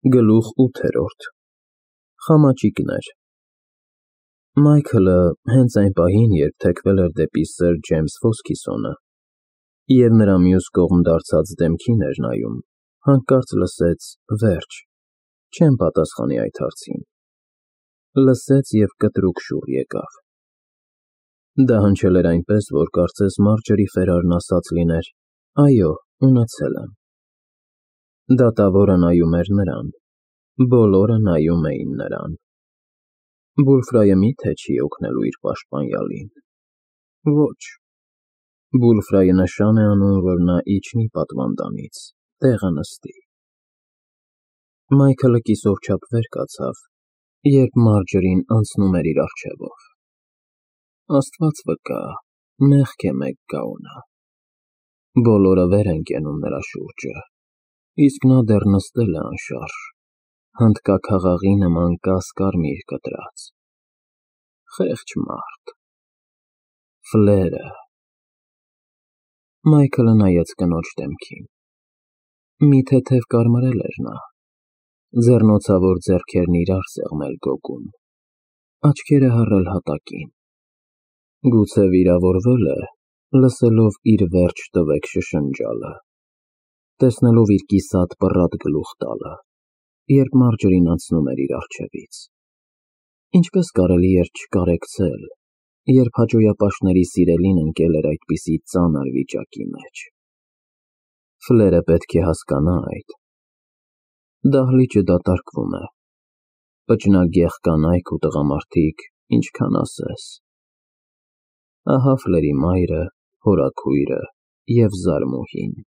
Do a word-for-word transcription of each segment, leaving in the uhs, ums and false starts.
Գլուխ ութերորդ Խամաճիկներ Մայքլը հենց այն պահին, երբ թեքվել էր դեպի սըր Ջեյմս Ֆոսքիսոնը և նրա մյուս կողմ դարձած դեմքին էր նայում, հանկարծ լսեց «վերջ», չեմ պատասխանի այդ հարցին, լսեց և կտրուկ շուռ եկավ, դա հնչել էր այնպես, որ կարծես Մարջորի Ֆերարն ասած լիներ. «Այո, ունեցել եմ»։ Դատավորը նայում էր նրան, բոլորը նայում էին նրան։ Բուլֆրայը մի՞թե չի օգնելու իր պաշտպանյալին։ Ոչ, Բուլֆրայը նշան է անում, որ նա իջնի պատվանդանից, տեղը նստի։ Մայքլը կիսով չափ վեր կացավ, երբ Մարջորին անցնում էր իր առջևով։ Աստված վկա, մեղք է մեկ գաունը։ Բոլորը վեր են կենում նրա շուրջը, իսկ նա դեռ նստել է անշարժ, հնդկաքաղաղի նման կաս֊կարմիր կտրած։ Խեղճ մարդ։ Ֆլերը… Մայքլը նայեց կնոջ դեմքին։ Մի թեթև կարմրել էր նա, ձեռնոցավոր ձեռքերն իրար սեղմել գոգում, աչքերը հառել հատակին։ Գուցե վիրավորվել է, լսելով իր «վերջ տվեք» շշնջալը, տեսնելով իր կիսատ պռատ գլուխ տալը, երբ Մարջորին անցնում էր իր առջևից։ Ինչպես կարելի էր չկարեկցել, երբ հաճոյապաշտների սիրելին ընկել էր այդպիսի ծանր վիճակի մեջ։ Ֆլերը պետք է հասկանա այդ։ Դահլիճը դատարկվում է, պճնագեղ կանայք ու տղամարդիկ, ինչքան ասես։ Ահա Ֆլերի մայրը, հորաքույրը և զարմուհին։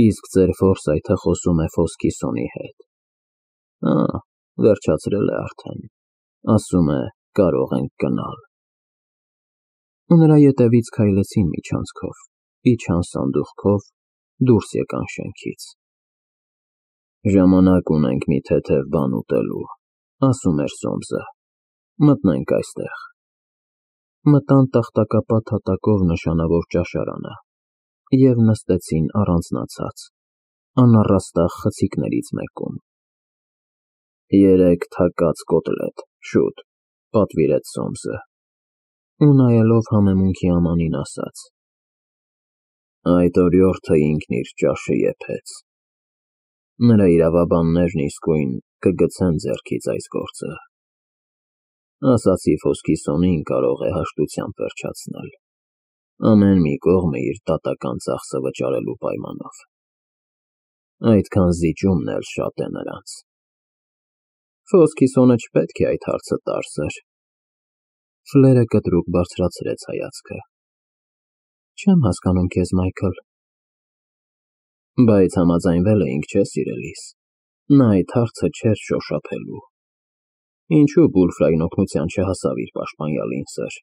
Իսկ ձեր Ֆորսայթը խոսում է Ֆոսքիսոնի հետ։ Ա, վերջացրել է արդեն, ասում է՝ կարող ենք գնալ։ Ու նրա ետևից քայլեցին միջանցքով, իջան սանդուղքով, դուրս եկան շենքից։ Ժամանակ ունենք մի թեթև բան ուտելու, ասում էր Սոմսը, մտնենք այստեղ։ Մտան տախտակապատ հատակով նշանավոր ճաշարանը և նստեցին առանձնացած, անառաստաղ խցիկներից մեկում։ Երեք թակած կոտլետ, շուտ, պատվիրեց Սոմսը, ու նայելով համեմունքի Ամանին ասաց. Այդ օրիորդը ինքն իր ճաշը եփեց։ Նրա իրավաբաններն իսկույն կգցեն ձեռքից այս գործը։ Ասացի Ֆոսքիսոնին կարող է հաշտությամբ վերջացնել, ամեն մի կողմը իր դատական ծախսը վճարելու պայմանով։ Այդքան զիջումն էլ շատ է նրանց։ Ֆոսքիսոնը չպետք է այդ հարցը տարծեր։ Ֆլերը կտրուկ բարձրացրեց հայացքը։ Չեմ հասկանում քեզ, Մայքլ։ Բայց համաձայնվել էինք, չէ՞, սիրելիս, նա այդ հարցը չէր շոշափելու։ Ինչու Բուլֆրային օգնության չհասավ իր պաշտպանյալին, սըր։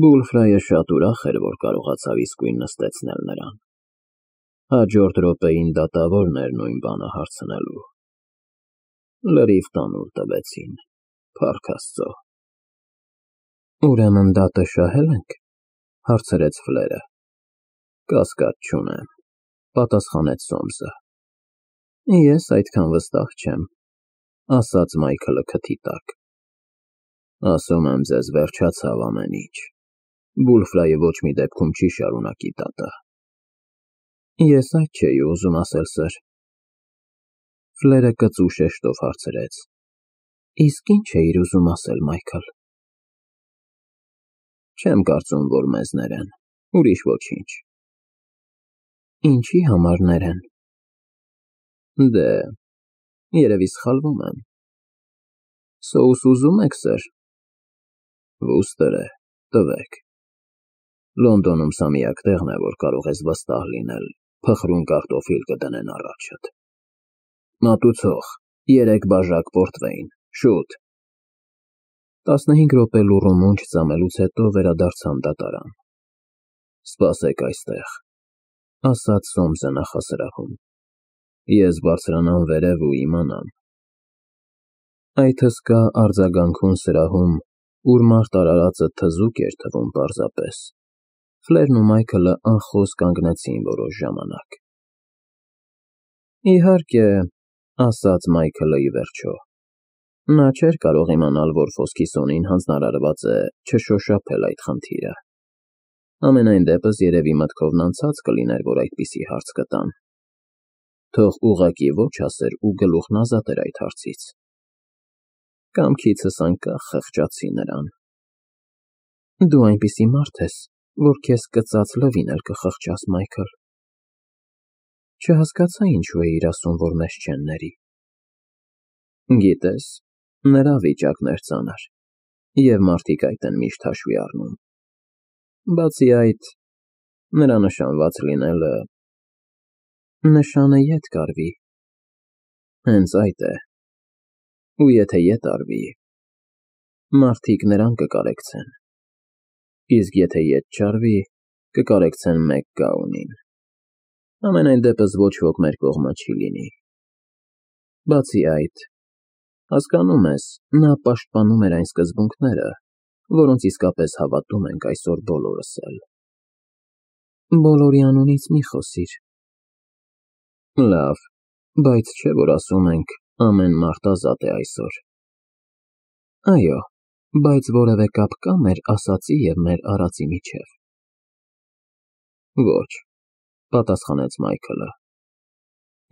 Բուլֆրայը շատ ուրախ էր, որ կարողացավ իսկույն նստեցնել նրան։ Հաջորդ րոպեին դատավորն էր նույն բանը հարցնելու։ Լրիվ տանուլ տվեցին, փառք Աստծո։ Ուրեմն դատը շահե՞լ ենք, հարցրեց Ֆլերը։ Կասկած չունեմ, պատասխանեց Սոմսը։ Ես այդքան վստահ չեմ, ասաց Մայքլը քթի տակ։ Ասում եմ ձեզ, վերջացավ ամեն ինչ, Բուլֆրայը ոչ մի դեպքում չի շարունակի դատը։ Ես այդ չէի ուզում ասել, սըր։ Ֆլերը կծու շեշտով հարցրեց. Իսկ ինչ էիր ուզում ասել, Մայքլ։ Չեմ կարծում, որ մեզ ներեն, ուրիշ ոչինչ։ Ինչի համար ներեն։ Դե, երևի սխալվում եմ։ Սոուս ուզում եք, սըր։ Վուստր է, տվեք։ Լոնդոնում սա միակ տեղն է, որ կարող ես վստահ լինել, փխրուն կարտոֆիլ կդնեն առաջդ։ Մատուցող, երեք բաժակ պորտվեյն, շուտ։ Տասնհինգ րոպե լուռ ու մունջ ծամելուց հետո վերադարձան դատարան։ Սպասեք այստեղ, ասաց Սոմսը նախասրահում։ Ես բարձրանամ վերև ու իմանամ։ Այդ հսկա արձագանքուն սրահում, ուր մարդ արարածը թզուկ էր թվում պարզապես, Ֆլերն ու Մայքլը անխոս կանգնեցին որոշ ժամանակ։ Իհարկե, ասաց Մայքլը ի վերջո։ Նա չէր կարող իմանալ, որ Ֆոսքիսոնին հանձնարարված է չշոշափել այդ խնդիրը։ Ամենայն դեպս երևի մտքովն անցած կլիներ, որ այդպիսի հարց կտան։ Թող ուղղակի ոչ ասեր ու գլուխն ազատեր այդ հարցից։ Կամքիցս անկախ խղճացի նրան։ Դու այնպիսի մարդ ես, որ քեզ կծած լվին էլ կխղճաս, Մայքլ։ Չհասկացա ինչու էիր ասում, որ մեզ չեն ների։ Գիտես, նրա վիճակն էր ծանր, և մարդիկ այդ են միշտ հաշվի առնում։ Բացի այդ, նրա նշանված լինելը… Նշանը ետ կարվի։ Հենց այդ է։ Ու եթե ետ արվի, մարդիկ նրան կկարեկցեն, իսկ եթե ետ չարվի, կկարեկցեն մեկ գաունին։ Ամենայն դեպս ոչ ոք մեր կողմը չի լինի։ Բացի այդ, հասկանում ես, նա պաշտպանում էր այն սկզբունքները, որոնց իսկապես հավատում ենք այսօր բոլորս էլ։ Բոլորի անունից մի խոսիր։ Լավ, բայց չէ, որ ասում ենք, ամեն մարդ ազատ է այսօր։ Այո, բայց որևէ կապ կա մեր ասածի և մեր արածի միջև։ Ոչ, պատասխանեց Մայքլը։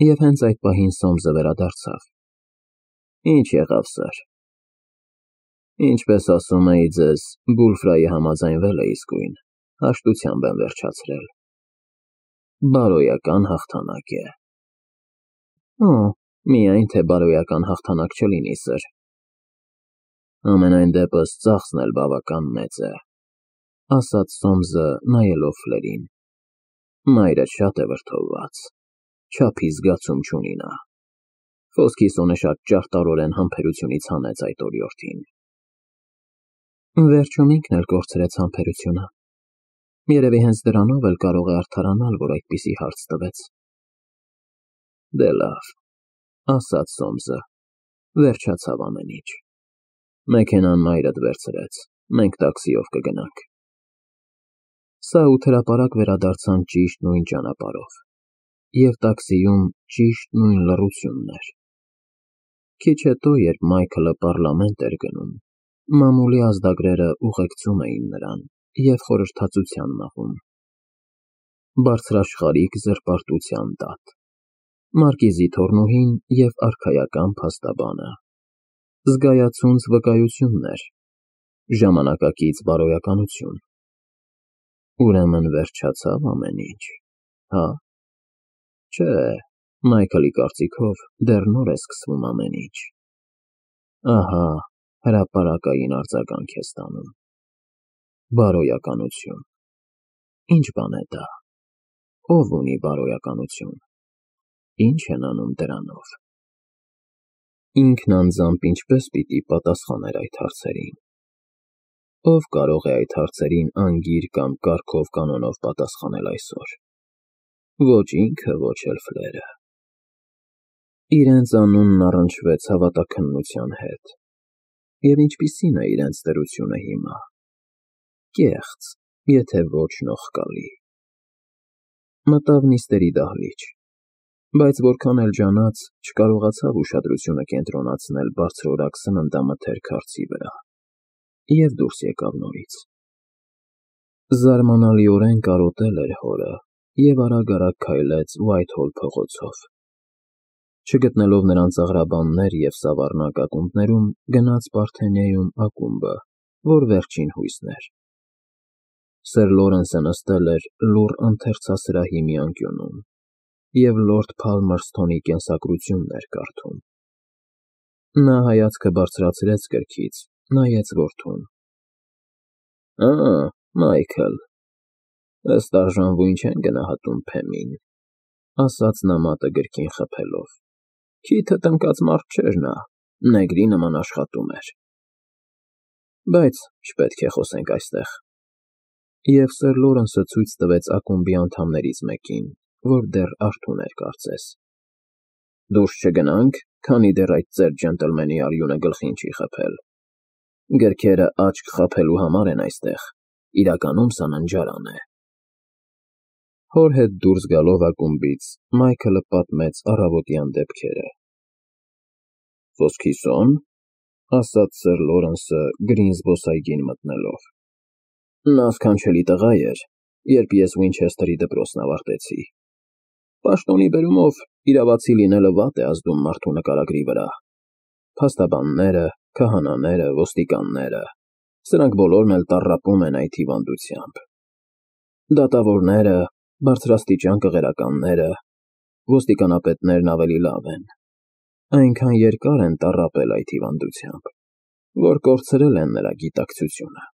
Եվ հենց այդ պահին Սոմսը վերադարձավ։ Ինչ եղավ, սըր։ Ինչպես ասում էի ձեզ, Բուլֆրայի համաձայնվել է իսկույն, հաշտությամբ եմ վերջացրել։ Բարոյական հաղթանակ է։ Օ, միայն թե բարոյական հաղթանակ չլինի, սըր։ Ամենայն դեպս ծախսն էլ բավական մեծ է, ասաց Սոմսը նայելով Ֆլերին։ Մայրդ շատ է վրդովված, չափի զգացում չունի նա։ Ֆոսքիսոնը շատ ճարտարորեն համբերությունից հանեց այդ օրիորդին։ Վերջում ինքն էլ կորցրեց համբերությունը։ Երևի հենց դրանով էլ կարող է արդարանալ, որ այդպիսի հարց տվեց։ Դե լավ, ասաց Սոմսը, վերջացավ ամեն ինչ։ Մեքենան մայրդ վերցրեց, մենք տաքսիով կգնանք։ Սա ութ հրապարակ վերադարձան ճիշտ նույն ճանապարհով, և տաքսիում ճիշտ նույն լռությունն էր։ Քիչ հետո, երբ Մայքլը պառլամենտ էր գնում, մամուլի ազդագրերը ուղեկցում էին նրան և խորհրդածության մաղում։ Բարձրաշխարհիկ զրպարտության տատ, մարկիզի թոռնուհին և արքայական փաստաբանը, զգայացունց վկայություններ, ժամանակակից բարոյականություն։ Ուրեմն վերջացավ ամեն ինչ, հա՞։ Չէ, Մայքլի կարծիքով դեռ նոր է սկսվում ամեն ինչ։ Ահա, հրապարակային արձագանք է ստանում։ Բարոյականություն։ Ինչ բան է դա։ Ով ունի բարոյականություն։ Ինչ են անում դրանով։ Ինքն անձամբ ինչպես պիտի պատասխաներ այդ հարցերին։ Ով կարող է այդ հարցերին անգիր կամ կարգով կանոնով պատասխանել այսօր։ Ոչ ինքը, ոչ էլ Ֆլերը։ Իրենց անունն առնչվեց հավատաքննության հետ։ Եվ ինչպիսի՞ն է իրենց դրությունը հիմա։ Կեղծ, եթե ոչ նողկալի։ Մտավ նիստերի դահլիճ, բայց որքան էլ ջանաց, չկարողացավ ուշադրությունը կենտրոնացնել բարձրորակ սննդամթերք հարցի վրա, և դուրս եկավ նորից։ Զարմանալիորեն կարոտել էր հորը և արագ-արագ քայլեց Ուայթհոլ փողոցով։ Չգտնելով նրան ծաղրաբաններ և սավառնակ ակումբներում, գնաց Պարթենեում ակումբը, որ վերջին հույսն էր։ Սըր Լորենսը նստել էր լուռ ընթերցասրահի մի անկյունում և լորդ Փալմերսթոնի կենսագրությունն էր կարդում։ Նա հայացքը բարձրացրեց գրքից, նայեց որդուն։ Ա, Մայքլ, ըստ արժանվույն չեն գնահատում Փեմին, ասաց նա մատը գրքին խփելով։ Քիթը տնկած մարդ չէր նա, նեգրի նման աշխատում էր։ Բայց չպետք է խոսենք այստեղ։ Եվ սըր Լորենսը ցույց տվեց ակումբի անդամներից մեկին, որ դեռ արթուն էր կարծես։ Դուրս չգնա՞նք, քանի դեռ այդ ծեր ջենտլմենի արյունը գլխին չի խփել։ Գրքերը աչք խաբելու համար են այստեղ, իրականում սա ննջարան է։ Հոր հետ դուրս գալով ակումբից Մայքլը պատմեց առավոտյան դեպքերը։ «Ոսկիսո՞ն», ասաց սըր Լորենսը գրին զբոսայգին մտնելով։ Նա սքանչելի տղա էր, երբ ես Ուինչեսթերի դպրոցն ավարտեցի։ Պաշտոնի բերումով իրավացի լինելը վատ է ազդում մարդու նկարագրի վրա։ Փաստաբանները, քահանաները, ոստիկանները, սրանք բոլորն էլ տառապում են այդ հիվանդությամբ։ Դատավորները, բարձրաստիճան կղերականները, ոստիկանապետներն ավելի լավ են։ Այնքան երկար են տառապել այդ հիվանդությամբ, որ կորցրել են նրա գիտակցությունը։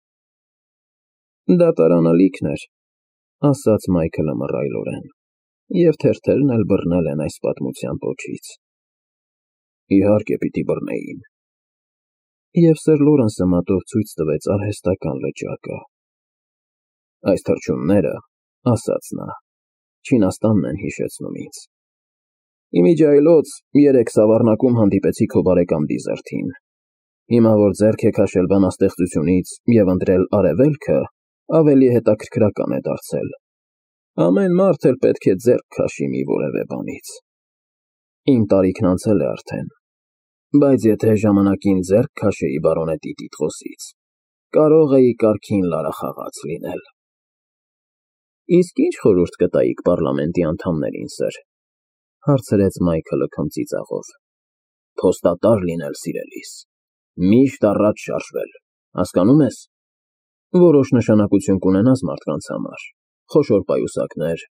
Դատարանը լիքն էր, ասաց Մայքլը մռայլորեն, և թերթերն էլ բռնել են այս պատմության պոչից։ Իհարկե պիտի բռնեին։ Եվ սըր Լորենսը մատով ցույց տվեց արհեստական լճակը։ Այս թռչունները, ասաց նա, Չինաստանն են հիշեցնում ինձ։ Իմիջիայլոց երեք Սավառնակում հանդիպեցի քո բարեկամ Դիզերթին։ Հիմա որ ձեռք է քաշել բանաստեղծությունից և ընտրել արևելքը, ավելի հետաքրքրական է դարձել։ Ամեն մարդ էլ պետք է ձեռք քաշի մի որևէ բանից։ Իմ տարիքն անցել է արդեն, բայց եթե ժամանակին ձեռք քաշեի բարոնետի տիտղոսից, կարող էի կարգին լարախաղաց լինել։ Իսկ ի՞նչ խորհուրդ կտայիք պառլամենտի անդամներին, սըր, հարցրեց Մայքլը քմծիծաղով։ Փոստատար լինել սիրելիս, միշտ առաջ շարժվել, հասկանում ես։ Որոշ նշանակություն կունենաս մարդկանց համար, խոշոր պայուսակներ,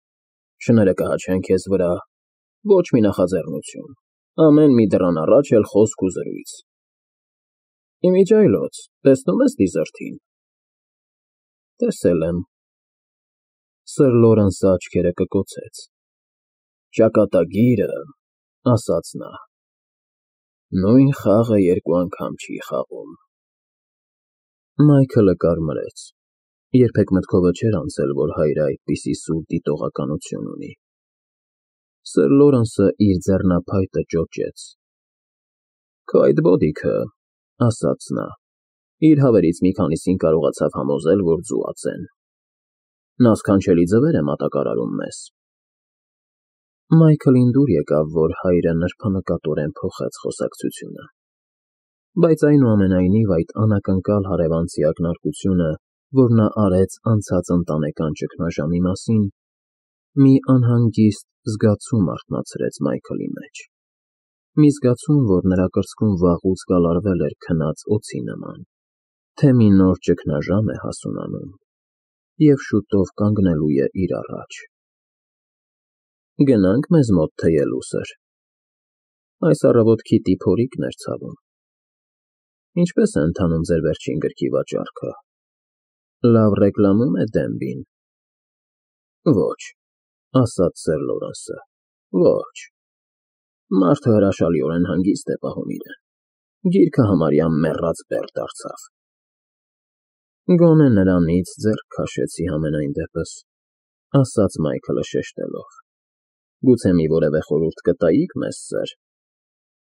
շները կհաչեն քեզ վրա, ոչ մի նախաձեռնություն, ամեն մի դռան առաջ էլ խոսք ու զրույց։ Իմիջիայլոց, տեսնում ես Դիզերթին։ Տեսել եմ։ Սըր Լորենսը աչքերը կկոցեց։ Ճակատագիրը, ասաց նա, նույն խաղը երկու անգամ չի խաղում։ Մայքլը կարմրեց, երբեք մտքովը չէր անցել, որ հայրը այդպիսի սուր դիտողականություն ունի։ Սըր Լորենսը իր ձեռնափայտը ճոճեց։ Քո այդ բոդիքը, ասաց նա, իր հավերից մի քանիսին կարողացավ համոզել, որ ձուաց են։ Նա սքանչելի ձևեր է մատակարարում մեզ։ Մայքլին դուր եկավ, որ հայրը նրբանկատորեն փոխեց խոսակցությունը։ Բայց այնուամենայնիվ այդ անակնկալ հարևանցի ակնարկությունը, որ նա արեց անցած ընտանեկան ճգնաժամի մասին, մի անհանգիստ զգացում արթնացրեց Մայքլի մեջ։ Մի զգացում, որ նրա կրծքում վաղուց գալարվել էր քնած օձի նման, թե մի նոր ճգնաժամ է հասունանում և շուտով կանգնելու է իր առաջ։ Գնա՞նք մեզ մոտ թեյելու, սըր։ Այս առավոտ քիթի փորիկն էր ցավում։ Ինչպե՞ս է ընթանում ձեր վերջին գրքի վաճառքը։ Լավ ռեկլամում է Դենբին։ Ոչ, ասաց սըր Լորենսը, ոչ։ Մարդը հրաշալիորեն հանգիստ է պահում իրեն։ Գիրքը համարյա մեռած բեռ դարձավ։ Գոնե նրանից ձեռք քաշեցի համենայն դեպս, ասաց Մայքլը շեշտելով։ Գուցե մի որևէ խորհուրդ կտայիք մեզ, սըր,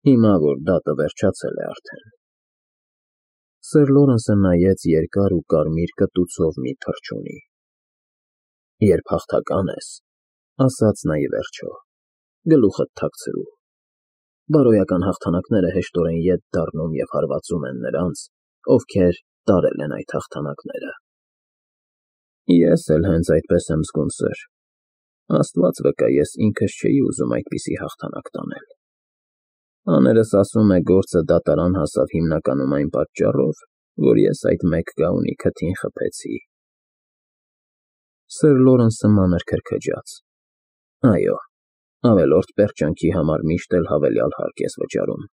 հիմա որ դատը վերջացել է արդեն։ Սըր Լորենսը նայեց երկար ու կարմիր կտուցով մի թռչունի։ Երբ հաղթական ես, ասաց նա ի վերջո, գլուխդ թաքցրու։ Բարոյական հաղթանակները հեշտորեն ետ դառնում և հարվածում են նրանց, ովքեր տարել են այդ հաղթանակները։ Ես էլ հենց այդպես եմ զգում, սըր։ Աստված վկա, ես ինքս չէի ուզում այդպիսի հաղթանակ տանել։ Աներս ասում է գործը դատարան հասավ հիմնականում այն պատճառով, որ ես այդ մեկ գաղունի քթին խփեցի։ Սըր Լորենսը մանր քրքջաց։ Այո, ավելորդ պերճանքի համար միշտ էլ հավելյալ հարկ ես վճարում,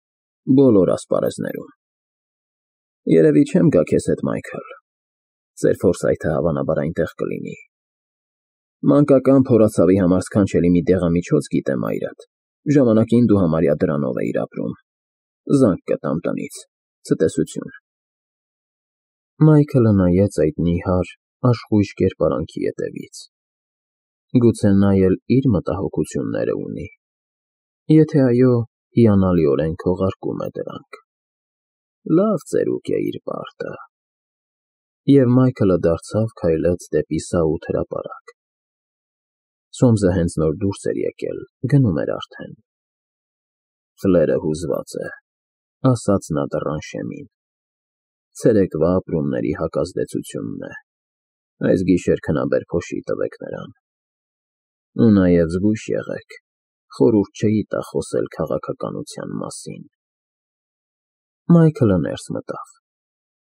բոլոր ասպարեզներում։ Երևի չեմ գա քեզ հետ, Մայքլ։ Ձեր ֆորսայթը հավանաբար այնտեղ կլինի։ Մանկական փորացավի համար սքանչելի մի դեղամիջոց գիտեմ այրդ, ժամանակին դու համարյա դրանով էիր ապրում։ Զանգ կտամ տնից, ցտեսություն։ Մայքլը նայեց այդ նիհար, աշխույժ կերպարանքի ետևից։ Գուցե նա էլ իր մտահոգությունները ունի։ Եթե այո, հիանալիորեն քողարկում է դրանք։ Լավ ծերուկ է իր պարտը։ Եվ Մայքլը դարձավ քայլեց դեպի սաութ հրապարակ։ Սոմսը հենց նոր դուրս էր եկել, գնում էր արդեն։ Ֆլերը հուզված է, ասաց նա դռան շեմին։ Ցերեկվա ապրումների հակազդեցությունն է։ Այս գիշեր քնաբեր փոշի տվեք նրան։ Ու նաև զգույշ եղեք, խորհուրդ չէի տա խոսել քաղաքականության մասին։ Մայքլը ներս մտավ։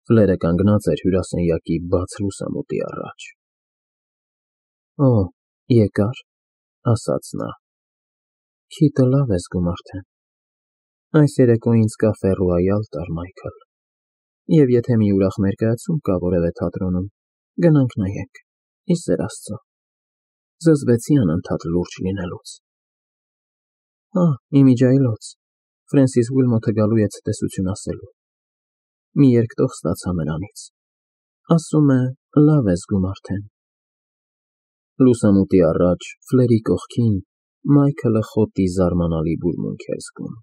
Ֆլերը կանգնած էր հյուրասենյակի բաց լուսամուտի առաջ։ Օ, եկա՞ր, ասաց նա։ Քիթը լավ է զգում արդեն։ Այս երեկո ինձ կաֆե ռոյալ տար Մայքլ։ Եվ եթե մի ուրախ ներկայացում կա որևէ թատրոնում, գնանք նայենք, ի սեր Աստծո։ Զզվեցի անընդհատ լուրջ լինելուց։ Հա, իմիջիայլոց, Ֆրենսիս Ուիլմոթը գալու է ցտեսություն ասելու։ Մի երկտող ստացա նրանից։ Ասում է, լավ է զգում արդեն։ Լուսամուտի առաջ, Ֆլերի կողքին, Մայքլը խոտի զարմանալի բուրմունք էր զգում։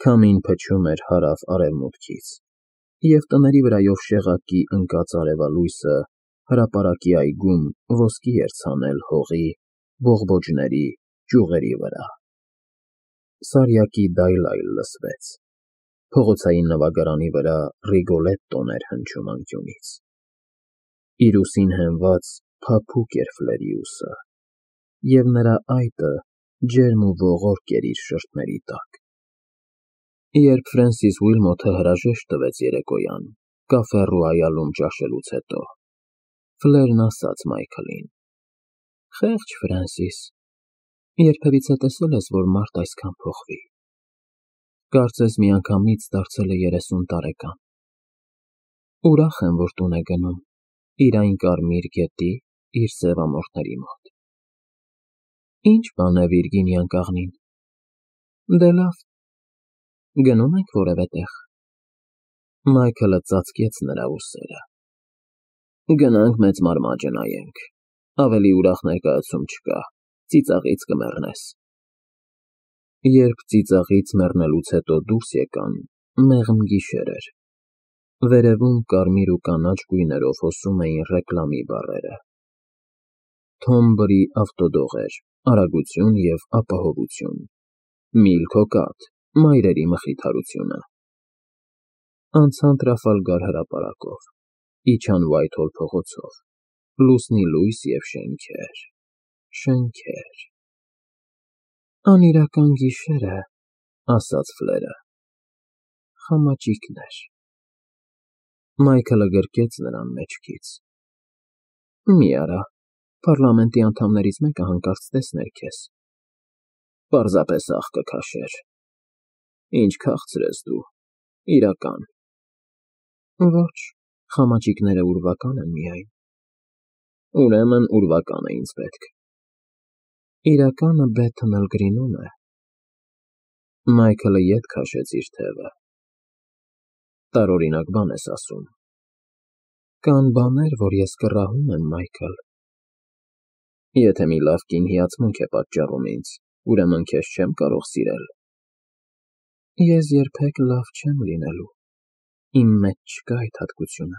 Քամին փչում էր հարավ֊արևմուտքից, և տների վրայով շեղակի ընկած արևալույսը հրապարակի այգում ոսկի էր ցանել հողի, բողբոջների, ճյուղերի վրա։ Սարյակի դայլ-այլ լսվեց։ Փողոցային նվագարանի վրա Ռիգոլետտոն էր հնչում անկյունից։ Իր ուսին հենված փափուկ էր Ֆլերի ուսը, և նրա այտը ջերմ ու ողորկ էր իր շրթների տակ։ Երբ Ֆրենսիս Ուիլմոթը հրաժեշտ տվեց երեկոյան, կաֆե Ռոյալում ճաշելուց հետո, Ֆլերն ասաց Մայքլին. Խեղճ Ֆրենսիս, երբևիցե տեսել ես, որ մարդ այսքան փոխվի։ Կարծես միանգամից դարձել է երեսուն տարեկան։ Ուրախ եմ, որ տուն է գնում, իր այն կարմիր գետի, իր սևամորթների մոտ։ Ինչ բան է Վիրգինիան կաղնին։ Դե լավ, գնո՞ւմ ենք որևէ տեղ։ Մայքլը ծածկեց նրա ուսերը։ Գնանք մեծ մարմաճը նայենք, ավելի ուրախ ներկայացում չկա, ծիծաղից կմեռնես։ Երբ ծիծաղից մեռնելուց հետո դուրս եկան, մեղմ գիշեր էր։ Վերևում կարմիր ու կանաչ գույներով հոսում էին ռեկլամի բառերը։ Թոմբրի ավտոդող էր, արագություն և ապահովություն, Միլքոկատ, մայրերի մխիթարությունը։ Անցան Տրաֆալգար հրապարակով, իջան Ուայթհոլ փողոցով, լուսնի լույս և շենքեր, շենքեր։ Անիրական գիշեր է, ասաց Ֆլերը։ Խամաճիկներ։ Մայքլը գրկեց նրան մեջքից։ Մի արա, պարլամենտի անդամներից մեկը հանկարծ տեսներ քեզ։ Պարզապես աղ կքաշեր։ Ինչ քաղցր ես դու, իրական։ Ոչ, խամաճիկները ուրվական են միայն։ Ուրեմն ուրվական է ինձ պետք։ Իրականը Բեթհըմ Գրինում է։ Մայքլը ետ քաշեց իր թևը։ Տարօրինակ բան ես ասում։ Կան բաներ, որ ես կռահում եմ, Մայքլ։ Եթե մի լավ կին հիացմունք է պատճառում ինձ, ուրեմն քեզ չեմ կարող սիրել։ Ես երբեք լավ չեմ լինելու, իմ մեջ չկա այդ հատկությունը։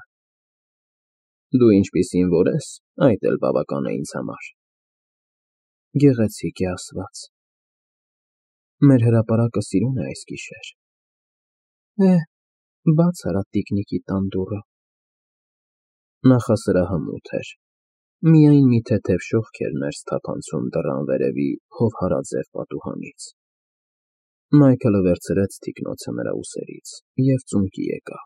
Դու ինչպիսին որ ես, այդ էլ բավական է ինձ համար։ Գեղեցիկ է ասված։ Մեր հրապարակը սիրուն է այս գիշեր։ Է, բաց արա տիկնիկի տան դուռը։ Նախասրահը մութ էր։ Միայն մի թեթև շողք էր ներս թափանցում դռան վերևի հովհարաձև պատուհանից։ Մայքլը վերցրեց թիկնոցը նրա ուսերից և ծունկի եկավ։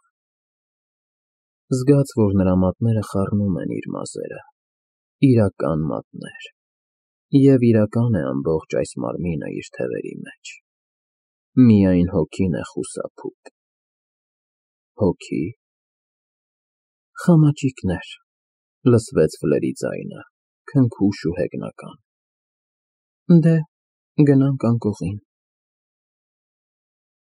Զգաց, որ նրա մատները խառնում են իր մազերը, իրական մատներ, և իրական է ամբողջ այս մարմինը իր թևերի մեջ։ Միայն հոգին է խուսափում։ Հոգի։ Խամաճիկներ, լսվեց Ֆլերի ձայնը, քնքուշ ու հեգնական։ Դե, գնանք անկողին։